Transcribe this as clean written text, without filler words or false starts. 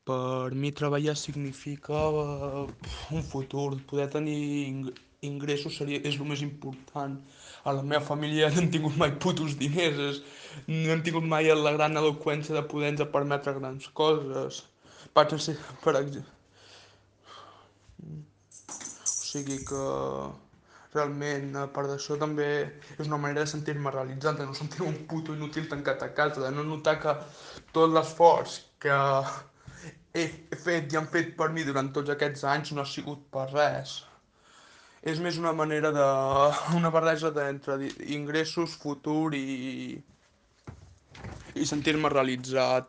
Per mi treballar significa un futur, poder tenir ingressos és el més important. A la meva família no han tingut mai putos diners, no han tingut mai la gran eloqüència de poder-nos permetre grans coses. Vaig ser, per exemple, o sigui que realment, a part d'això, també és una manera de sentir-me realitzat, de no sentir-me un puto inútil tancat a casa, de no notar que tot l'esforç que he fet i han fet per mi durant tots aquests anys no ha sigut per res. És més una manera de... una barreja entre ingressos, futur i sentir-me realitzat